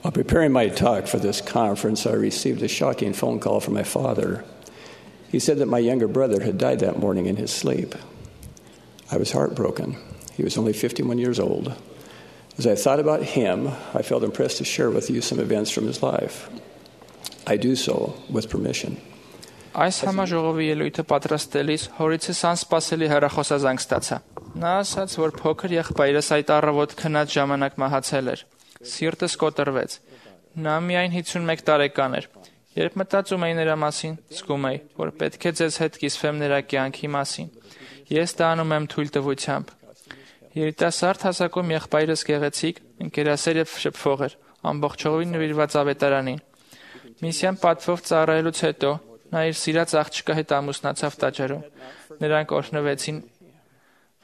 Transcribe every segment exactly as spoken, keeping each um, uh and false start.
While preparing my talk for this conference, I received a shocking phone call from my father. He said that my younger brother had died that morning in his sleep. I was heartbroken. He was only fifty-one years old. As I thought about him, I felt impressed to share with you some events from his life. I do so with permission. Այս համաժողովի ելույթը պատրաստելիս հորիցս անսպասելի հեռախոսազանգ ստացա։ Նա ասաց, որ փոքր եղբայրս այդ առավոտ քնած ժամանակ մահացել էր։ Սիրտս կոտրվեց։ Նա միայն հիսունմեկ տարեկան էր։ Երբ մտածում էի նրա մասին, զգում էի, որ պետք է ձեզ հետ կիսվեմ նրա կյանքի մասին։ Ես դա անում եմ թույլտվությամբ։ Երիտասարդ հասակում եղբայրս գեղեցիկ, ընկերասեր եւ շփվող էր, ամբողջովին նվիրված ավետարանին։ Միսիան պատվով ծառայելուց հետո նա իր սիրած աղջկա հետ ամուսնացավ տաճարում։ Նրանք օրհնվեցին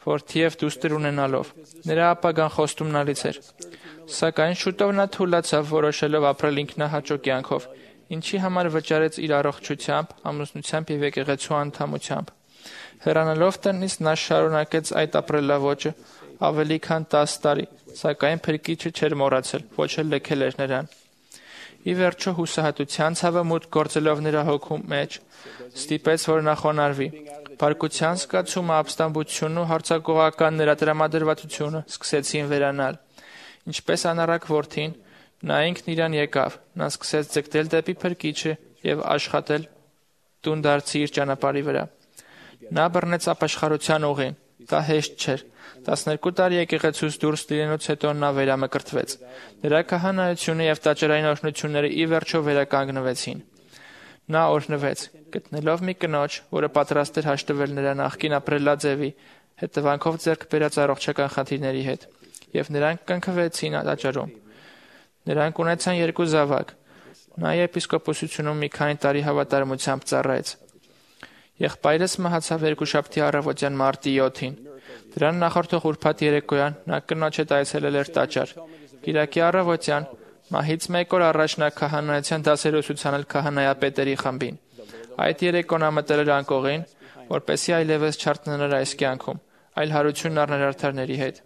որդի եւ դուստր ունենալով։ Նրա ապագան խոստումնալից էր։ Սակայն շուտով նա թուլացավ, որոշելով ապրել ինքնահաճո կյանքով, ինչի համար վճարեց իր առողջությամբ, ամուսնությամբ եւ եկեղեցու անդամությամբ։ Հեռանալով տնից նա շարունակեց այդ ապրելավոճը ավելի քան տասը տարի, սակայն փրկիչը չէր մոռացել, ոչ էլ լքել էր նրան։ Ի վերջո հուսահատության ցավը մուտք գործելով նրա հոգու մեջ ստիպեց, որ նա խոնարհվի։ Բարկության զգացումը, ապստամբությունն ու հարձակողական նրա տրամադրվածությունը սկսեցին վերանալ։ Ինչպես անառակ որդին, նա ինքն իրան եկավ, նա սկսեց ձգտել դեպի փրկիչը եւ աշխատել տուն դարձի իր ճանապարհի վրա։ Նա բռնեց ապաշխարության ուղին։ Դա հեշտ չէր։ տասներկու տարի եկեղեցուց դուրս լինելուց հետո նա վերամկրտվեց։ Նրա քահանայությունը եւ տաճարային օրհնությունները ի վերջո վերականգնվեցին։ Նա օրհնվեց, գտնելով մի կնոջ, որը պատրաստ էր հաշտվել նրա նախկին ապրելաձևի հետևանքով ձեռք բերած առողջական խնդիրների հետ, եւ նրանք կնքվեցին տաճարում։ Նրանք ունեցան երկու զավակ։ Նա եպիսկոպոսությունում մի քանի տարի հավատարմությամբ ծառայեց։ Եղբայրս մահացավ երկուշաբթի առավոտյան մարտի յոթին։ Դրան նախորդող ուրբաթ երեկոյան նա կնոջ հետ այցելել էր տաճար։ Կիրակի առավոտյան մահից մեկ օր առաջ նա քահանայության դասեր ուսուցանել քահանայապետերի խմբին։ Այդ երեկոն նա մտել էր անկողին, որպեսզի այլևս չարտնանար այս կյանքում, այլ հարություն առներ արդարների հետ։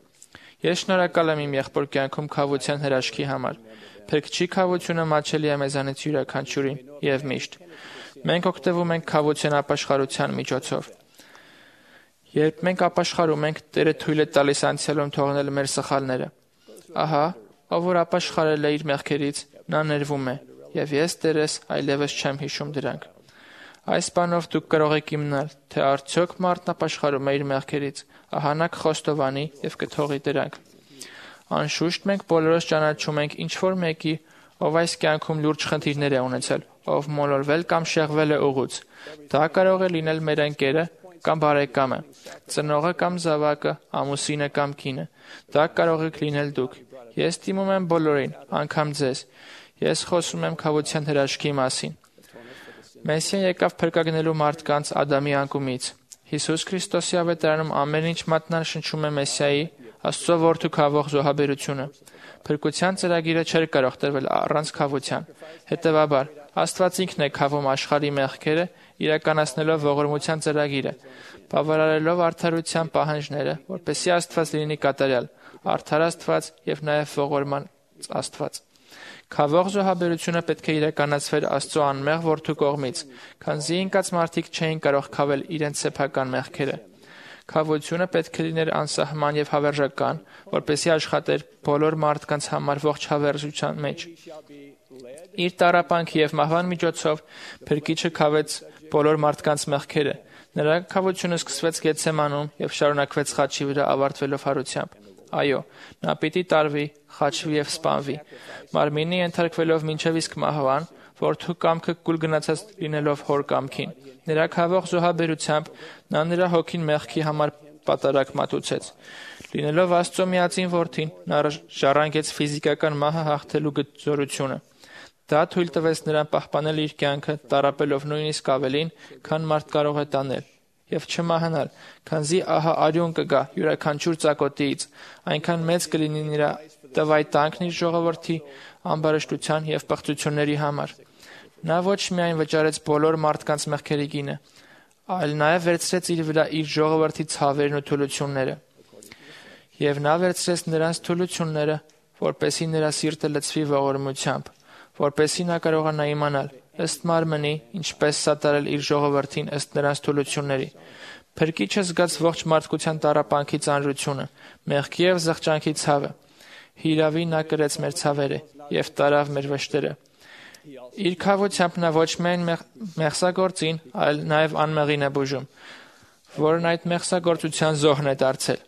Ես շնորհակալ եմ իմ եղբոր կյանքում քավության հրաշքի համար։ Փրկչի քավությունը մատչելի է մեզանից յուրաքանչյուրին եւ միշտ։ Մենք օգտվում ենք քավության ապաշխարության միջոցով։ Երբ մենք ապաշխարում ենք, Տերը թույլ է տալիս անցյալում թողնել մեր սխալները։ Ահա, ով որ ապաշխարել է իր մեղքերից, նա ներվում է, եւ ես Տերես այլևս չեմ հիշում դրանք։ Այս բանով դուք կարող եք իմանալ, թե արդյոք մարդն ապաշխարում է իր մեղքերից, ահա նա կխոստովանի եւ կթողի դրանք։ Անշուշտ մենք բոլորս ճանաչում ենք ինչ որ մեկի, ով այս կյանքում լուրջ խնդիրներ է ունեցել, ով մոլորվել կամ շեղվել է ուղուց։ Դա կարող է լինել մեր ընկերը կամ բարեկամը, ծնողը կամ զավակը, ամուսինը կամ կինը։ Դա կարող եք լինել դուք։ Ես դիմում եմ բոլորին, անգամ ձեզ։ Ես խոսում եմ քավության հրաշքի մասին։ Մեսիան եկավ փրկագնելու մարդկանց Ադամի անկումից։ Հիսուս Քրիստոսի ավետարանում ամեն ինչ մատնանշում է Մեսիայի, Աստծո որդու քավող զոհաբերությունը։ Փրկության ծրագիրը չէր կարող տրվել առանց քավության։ Հետևաբար, Աստված ինքն է քավում աշխարհի մեղքերը, իրականացնելով ողորմության ծրագիրը, բավարարելով արդարության պահանջները, որպեսզի Աստված լինի կատարյալ, արդար Աստված եւ նաեւ ողորման Աստված։ Քավող զոհաբերությունը պետք է իրականացվեր Աստծո անմեղ որդու կողմից, քանզի ինքած մարդիկ չէին կարող քավել իրենց սեփական մեղքերը։ Քավությունը պետք է լիներ անսահման եւ հավերժական, որպեսզի աշխատեր բոլոր մարդկանց համար ողջ հավերժության մեջ։ Իր տառապանքի եւ մահվան միջոցով Փրկիչը քավեց բոլոր մարդկանց մեղքերը։ Նրա քավությունը սկսվեց Գեթսեմանում եւ շարունակվեց խաչի վրա ավարտվելով հարությամբ։ Այո, նա պիտի տարվի, խաչվի եւ սպանվի։ Մարմինի ենթարկվելով մինչեւ իսկ մահվան, որդու կամքը կուլ գնացած լինելով հոր կամքին։ Նրա քավող զոհաբերությամբ նա նրա հոգին մեղքի համար պատարակ մատուցեց։ Լինելով Աստծո միածին որդին, նա ժառանգեց ֆիզիկական մահը հաղթելու զորությունը։ Դա թույլ տվեց նրան պահպանել իր կյանքը, տառապելով նույնիսկ ավելին, քան մարդ կարող է տանել, եւ չմահանալ, քանզի ահա արյուն կգա յուրաքանչյուր ծակոտից, այնքան մեծ կլինի նրա տվայտանքն իր ժողովրդի ամբարշտության եւ պղծությունների համար։ Նա ոչ միայն վճարեց բոլոր մարդկանց մեղքերի գինը, այլ նաեւ վերցրեց իր վրա իր ժողովրդի ցավերն ու թուլությունները։ Եվ նա վերցրեց նրանց թուլությունները, որպեսզի նրա սիրտը լցվի ողորմությամբ, որպեսզի նա կարողանա իմանալ ըստ մարմնի, ինչպես սատարել իր ժողովրդին ըստ նրանց թուլությունների։ Փրկիչը զգաց ողջ մարդկության տառապանքի ծանրությունը, մեղքի և զղջանքի ցավը։ Հիրավի նա կրեց մեր ցավերը և տարավ մեր վշտերը։ Իր քավությամբ նա ոչ միայն մեղսագործին, այլ նաև անմեղին է բուժում, որն այդ մեղսագործության զոհն է դարձել։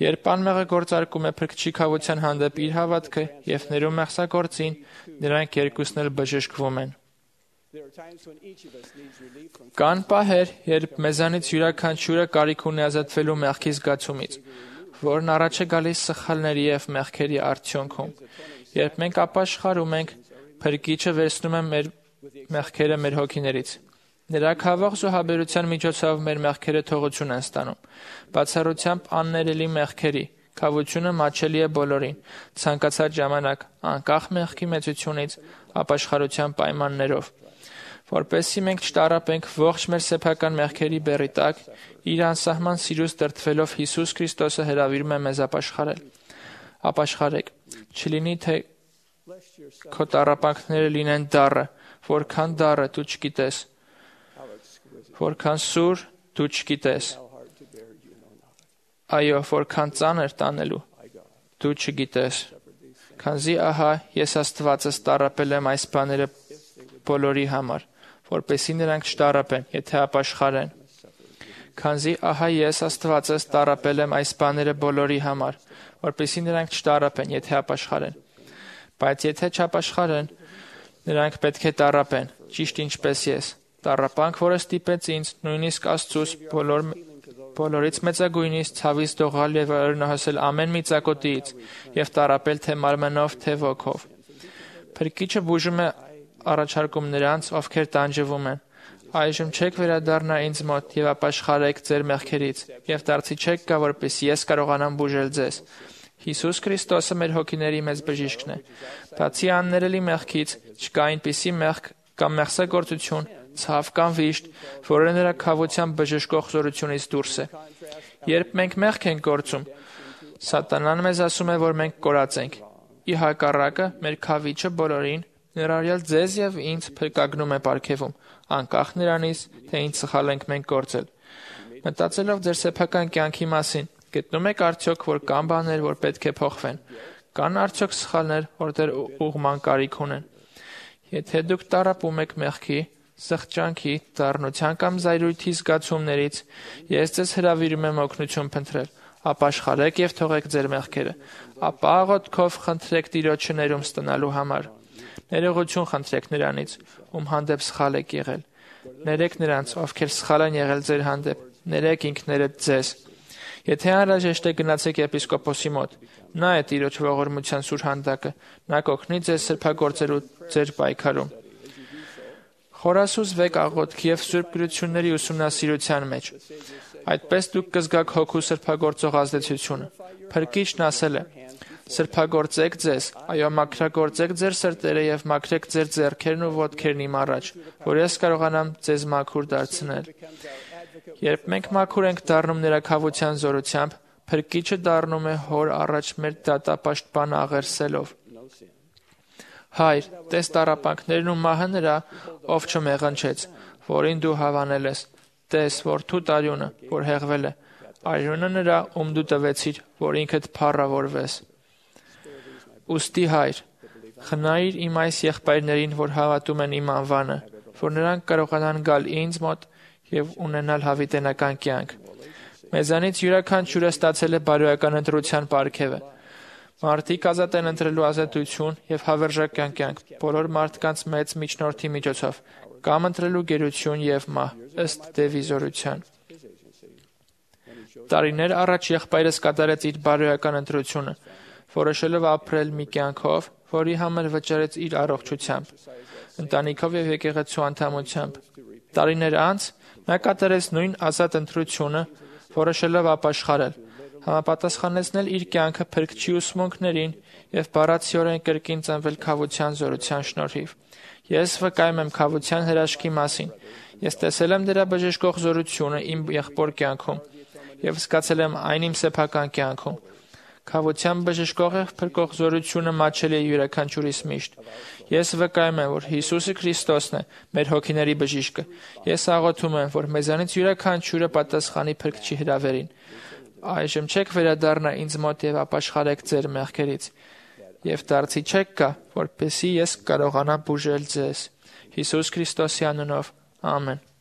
Երբ անմեղը գործարկում է փրկչի քավության հանդեպ իր հավատքը և ներում մեղսագործին, նրանք երկուսն էլ բժշկվում են։ Կան պահեր, երբ մեզանից յուրաքանչյուրը կարիք ունի ազատվելու մեղքի զգացումից, որն առաջ է գալիս սխալների և մեղքերի արդյունքում։ Երբ մենք ապաշխարում ենք, Փրկիչը վերցնում է մեր մեղքերը մեր հոգիներից։ Նրա քավող զոհաբերության միջոցով մեր մեղքերը թողություն են ստանում։ Բացառությամբ աններելի մեղքերի, քավությունը մատչելի է բոլորին, ցանկացած ժամանակ, անկախ մեղքի մեծությունից, ապաշխարության պայմաններով։ Որպեսզի մենք չտառապենք ողջ մեր սեփական մեղքերի բեռի տակ, իր անսահման սիրուց դրդվելով Հիսուս Քրիստոսը հրավիրում է մեզ ապաշխարել։ Ապաշխարեք, չլինի թե քո տառապանքները լինեն դառը, որքան դառը դու չգիտես, որքան սուր դու չգիտես, այո, որքան ծանր տանելու դու չգիտես, քանզի ահա ես Աստվածս տառապել եմ այս բաները բոլորի համար, որպեսզի նրանք չտառապեն, եթե ապաշխարեն։ Քանզի ահա ես Աստվածս տառապել եմ այս բաները բոլորի համար, որպեսզի նրանք չտառապեն, եթե ապաշխարեն։ Բայց եթե չապաշխարեն, նրանք պետք է տառապեն, ճիշտ ինչպես ես։ Տառապանք, որը ստիպեց ինձ, նույնիսկ Աստծուս, բոլոր, բոլորից մեծագույնից ցավից դողալ և ըրնահոսել ամեն մի ծակոտիից և տառապել թե մարմնով, թե ոգով։ Փրկիչը բուժում է առաջարկում նրանց, ովքեր տանջվում են։ Այժմ չեք վերադառնա ինձ մոտ և ապաշխարեք ձեր մեղքերից և դարձի չեք գա, որպեսզի ես կարողանամ բուժել ձեզ։ Հիսուս Քրիստոսը մեր հոգիների մեծ բժիշկն է։ Բացի աններելի մեղքից չկա այնպիսի մեղք կամ մեղսագործություն, ցավ կամ վիշտ, որը նրա քավության բժշկող զորությունից դուրս է։ Երբ մենք մեղք ենք գործում, Սատանան մեզ ասում է, որ մենք կորած ենք։ Ի հակառակը, մեր քավիչը բոլորին, ներառյալ ձեզ և ինձ, փրկագնում է պարգևում, անկախ նրանից, թե ինչ սխալ ենք մենք գործել։ Մտածելով ձեր սեփական կյանքի մասին, գտնում եք արդյոք, որ կան բաներ, որ պետք է փոխվեն։ Կան արդյոք սխալներ, որ դեռ ուղղման կարիք ունեն։ Եթե դուք տառապում եք մեղքի, սղճանքի, դառնության կամ զայրույթի զգացումներից, ես ձեզ հրավիրում եմ օգնություն փնտրել։ Ապաշխարեք և թողեք ձեր մեղքերը։ Ապա աղոթքով խնդրեք Տիրոջը ներում ստանալու համար։ Ներողություն խնդրեք նրանից, ում հանդեպ սխալ եք եղել։ Ներեք նրանց, ովքեր սխալ են եղել ձեր հանդեպ։ Ներեք ինքներդ ձեզ։ Եթե անհրաժեշտ է, գնացեք եպիսկոպոսի մոտ։ Նա է Տիրոջ ողորմության սուր հանդակը։ Նա կօգնի ձեզ սրբագործելու ձեր պայքարում։ Խորասուզվեք աղոթքի և սուրբ գրությունների ուսումնասիրության մեջ։ Այդպես դուք կզգաք հոգու սրբագործող ազդեցությունը։ Փրկիչն ասել է. «Սրբագործեք ձեզ, այո, մաքրագործեք ձեր սրտերը և մաքրեք ձեր ձեռքերն ու ոտքերն իմ առաջ, որ ես կարողանամ ձեզ մաքուր դարձնել»։ Երբ մենք մաքուր ենք դառնում նրա քավության զորությամբ, Փրկիչը դառնում է Հոր առաջ մեր դատապաշտպանը աղերսելով։ Հայր, տես տառապանքներն ու մահը նրա, ով չմեղնչեց, որին դու հավանել ես։ Տես, որդու տարյունը, որ հեղվել է, արյունը նրա, ում դու տվեցիր, որ ինքդ փառավորվես։ Ուստի հայր, խնայիր իմ այս եղբայրներին, որ հավատում են իմ անվանը, որ նրանք կարողանան գալ ինձ մոտ և ունենալ հավիտենական կյանք։ Մեզանից յուրաքանչյուրը ստացել է բարոյական ընտրության պարգևը։ Մարդիկ ազատ են ընտրելու ազատություն և հավերժական կյանք բոլոր մարդկանց մեծ միջնորդի միջոցով, կամ ընտրելու գերություն և մահ, ըստ Դևի զորության։ Տարիներ առաջ եղբայրս կատարեց իր բարոյական ընտրությունը, որոշելով ապրել մի կյանքով, որի համար վճարեց իր առողջությամբ, ընտանիքով և եկեղեցու անդամությամբ։ Տարիներ անց նա կատարեց նույն ազատ ընտրությունը, որոշելով ապաշխարել, համապատասխանեցնել իր կյանքը Փրկչի ուսմունքներին և բառացիորեն կրկին ծնվել քավության զորության շնորհիվ։ Ես վկայում եմ քավության հրաշքի մասին։ Ես տեսել եմ դրա բժշկող զորությունը իմ եղբոր կյանքում և զգացել եմ այն իմ սեփական կյանքում։ Քավության բժշկող է փրկող զորությունը մատչելի է յուրաքանչյուրիս միշտ։ Ես վկայում եմ, որ Հիսուսը Քրիստոսն է, մեր հոգիների բժիշկը։ Ես աղոթում եմ, որ մեզանից յուրաքանչյուրը պատասխանի Փրկչի հրավերին։ Այժմ չեք վերադառնա ինձ մոտ եւ ապաշխարեք ձեր մեղքերից։ Եվ դարձի չեք գա, որպեսզի ես կարողանամ բուժել ձեզ։ Հիսուս Քրիստոսի անունով։ Ամեն։